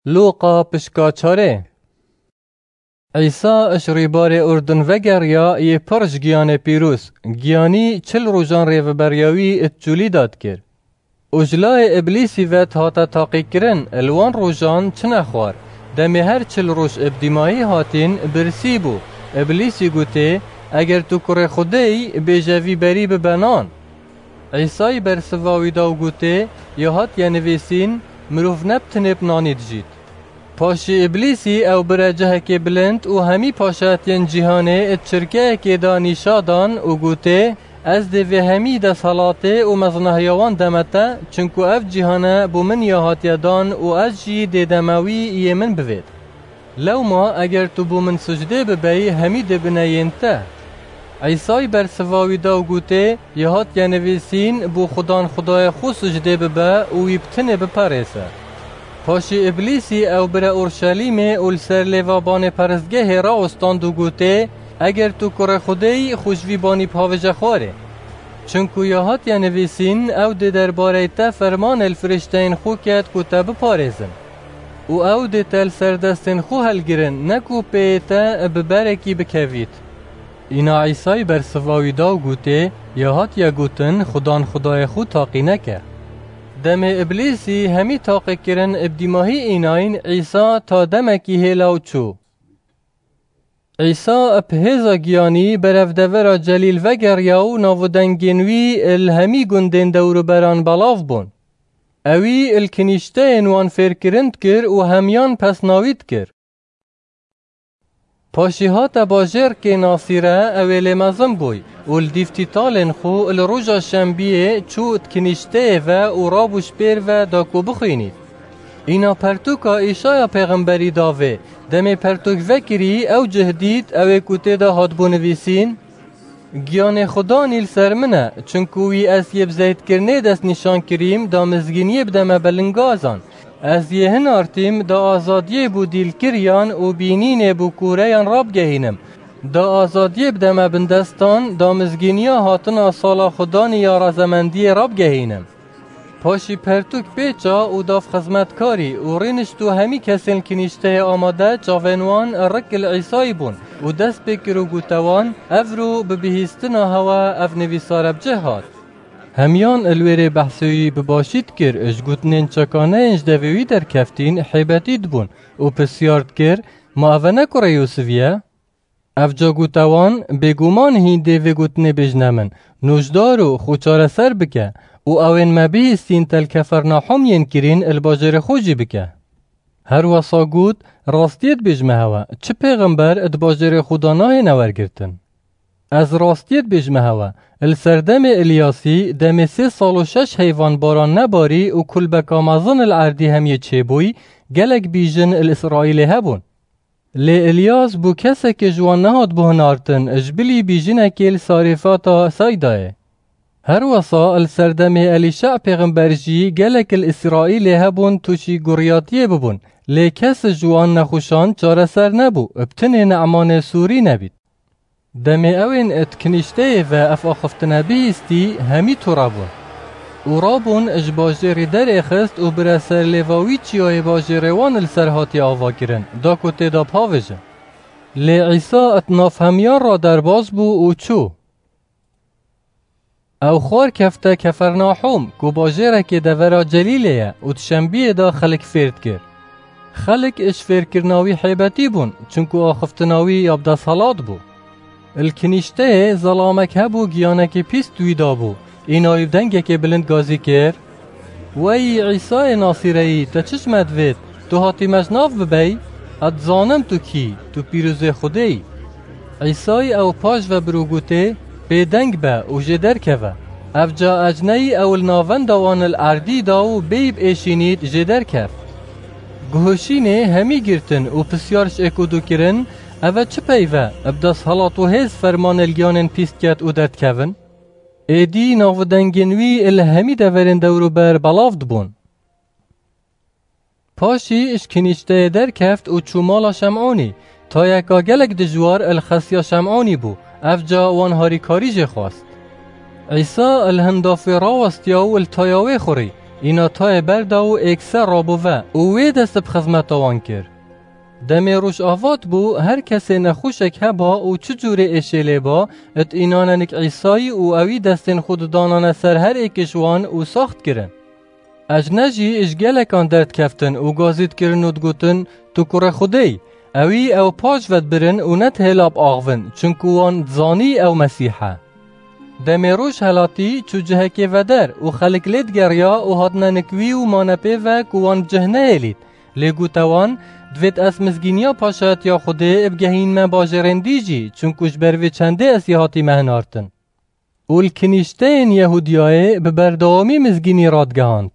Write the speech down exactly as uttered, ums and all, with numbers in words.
Lûqa pişka çarê. Îsa ji rîbarê Urdun vegeriya yê pir ji giyanê pîroz, giyanî çil rojan rêveberiya wî di çûlî de dikir. Û ji layê Îblîsî ve dihate taqîkirin, li wan rojan çi nexwar. Demê her çil roj bi dîmahî hatîn, birsî bû. Îblîsî gotê, Eger tu kurê Xwedê yî, bêje vî berî bibe nan. Îsayî bersiva wî da û gotê, Ya hatiye nivîsîn, Mirov ne bi tinê bi nanî dijît. Paşî Îblîsî ew bire cihekê bilind û hemî paşatiyên cîhanê di çirkeyekê de nîşa dan û gotê, Ez dê vê hemî desthilatê û mezinahiya wan deme te, çinku ev cîhane bo min ya hatiye dan û ez jî dê deme wî yê min bivêt. Lewma eger tu bo min sicdê bibeyî, hemî dê bine yên te. Îsayî bersiva wî da û gotê, Ya hatiye nivîsîn, Bo Xudan Xwedayê xwe sicdê bibe û wî bi tinê biperêse. Paşî Îblîsî ew bire Orşelîmê û li ser lêva banê perestgehê rawistand û gotê, Eger tu kurê Xwedê yî, xwe ji vî banî bihawêje xwarê. Çinku ya hatiye nivîsîn, Ew dê derbareyê te fermanê li firîşteyên xwe ket ku te biparêzin. Û ew dê te li ser destên xwe helgirin, ne ku pêyê te bi berekî bikevît. Îna Îsayî bersiva wî da û gotê, Ya hatiye gotin, Xudan Xwedayê xwe taqî neke. Demê Îblîsî hemî taqîkirin bi dîmahî înayîn Îsa ta demekî hêla û çû. Îsa bi hêza giyanî berev devera Celîl vegeriya û nav û dengên wî li hemî gundên dewruberan belav bûn. Ewî li kinîşteyên wan fêrkirin dikir û hemiyan pesna wî dikir. Paşî hate bajêrkê Nasîre, ew ê lê mezin bûy û li dîv tîtalên xwe li roja şembiyê çû di kinîşteyê ve û rabû ji pêr ve da ku bixwînît. Îna pertûka Îşaya pêxemberî davê, demê pertûk vekirî, ew cih dît, ew ê ku tê de hatibû nivîsîn, Giyanê Xudanî li ser min e, çinku wî ez yê bi zeytkirinê destnîşan kirîm, da mizgîniyê bideme belingazan. Ez yê hinartîm, da azadiyê bo dîlkiriyan û bînînê bo kûreyan rabgehînim. Da azadiyê bideme bindestan, da mizgîniya hatina sala Xudanî ya razemendiyê rabgehînim. Paşî pertûk pêça û dav xizmetkarî û rînişt û hemî kesên kinîşteyê amade çavên wan rik li Îsayî bûn û dest pê kir û gote wan, Evro bi bihîstina hewe ev nivîsare bi cih hat. Hemiyan li wê rê behsê wî bi başî dikir, ji gotinên çekaneyên ji devê wî derkeftîn hêbetî dibûn û pisyar dikir, Ma eve ne kurê Yûsifî ye? Ev ca gote wan, Bêguman hîn dê vê gotinê bêjne min, Nojdar û xwe çareser bike û ewên me bihîstîn te li Kefernahûm yên kirîn li bajêrê xwe jî bike. Her wesa got, Rastiyê dibêjime hewe, çi pêxember di bajêrê xwe de nahêne wergirtin. Ez rastiyê dibêjime hewe, li serdemê Îlyasî, demê sê sal û şeş heyvan baran nebarî û kulbeka mezin li erdî hemiyê çêbûy, gelek bîjin li Îsraîlê hebûn. Lê Îlyas bû kesekê ji wan nehatbû hinartin, ji bilî bîjinekê li Sarêfata Saydayê. Her wesa li serdemê Elîşa pêxember jî gelek li Îsraîlê hebûn tûşî guriyatiyê bibûn, lê kes ji wan nexweşan çareser nebû, bi tinê Ne'manê Sûrî nebît. Demê ewên di kinîşteyê ve ev axiftina bihîstî, hemî tûre bûn. Û rabûn ji bajêrî derêxist û bire ser lêva wî çiyayê bajêrê wan li ser hatiye avakirin, da ku tê de bihawêjin. Lê Îsa di nav hemiyan re derbas bû û çû. Ew xwar kefte Kefernahûm, ku bajêrekê devera Celîlê ye û di şembiyê de xelk fêr dikir. Xelk ji fêrkirina wî hêbetî bûn, çinku axiftina wî ya bi desthilat bû. Li kinîşteyê zelamek hebû, giyanekî pîst wî dabû, îna wî bi dengekê bilind gazî kir, Wey Îsayê Nasîreyî, te çi ji me divêt? Tu hatî me ji nav bibey? Ez dizanim tu kî, tu pîrozê Xwedê yî. Îsayî ew paş ve bir û gotê, Bêdeng be û jê derkeve. Evca ecneyî ew li navenda wan li erdî da û bêyî biêşînît jê derkeft. Guhişînê hemî girtin û pisyar ji êk û du kirin, Eve çi peyv e, bi desthilat û hêz fermanê li giyanên pîst ket û derdikevin? Êdî nav û dengên wî li hemî deverên dewrûber belav dibûn. Paşî ji kinîşteyê derkeft û çû mala Şem'ûnî. Tayeka gelek dijwar li xesiya Şem'ûnî bû, evca wan harîkarî jê xwest. Îsa li hin dafê rawestiya û li taya wê xurî. Îna tayê berda û êkse rabû ve û wê dest bi xizmeta wan kir. Demê Rojava dibû, her kesê nexweşek heba û çi cûrê êşê lê ba, di înanenik Îsayî û ewî destên xwe didanane ser her êk ji wan û sax dikirin. Ejne jî ji gelekan derdikeftin û gazî dikirin û digotin, Tu kurê Xwedê yî. Ewî ew paş ve dibirin û ne dihêla biaxivin, çunku wan dizanî ew Mesîh e. Demê roj helatî çû cihekê veder û xelk lê digeriya û hatine nik wî û mane pê ve ku wan bi cih nehêlît. Lê gote wan, Divêt ez mizgîniya paşayetiya Xwedê bigehînme bajêrên dî jî, çunku ji ber vê çendê ez yê hatîme hinartin. Û li kinîşteyên Yehûdiyayê bi berdewamî mizgînî radigihand.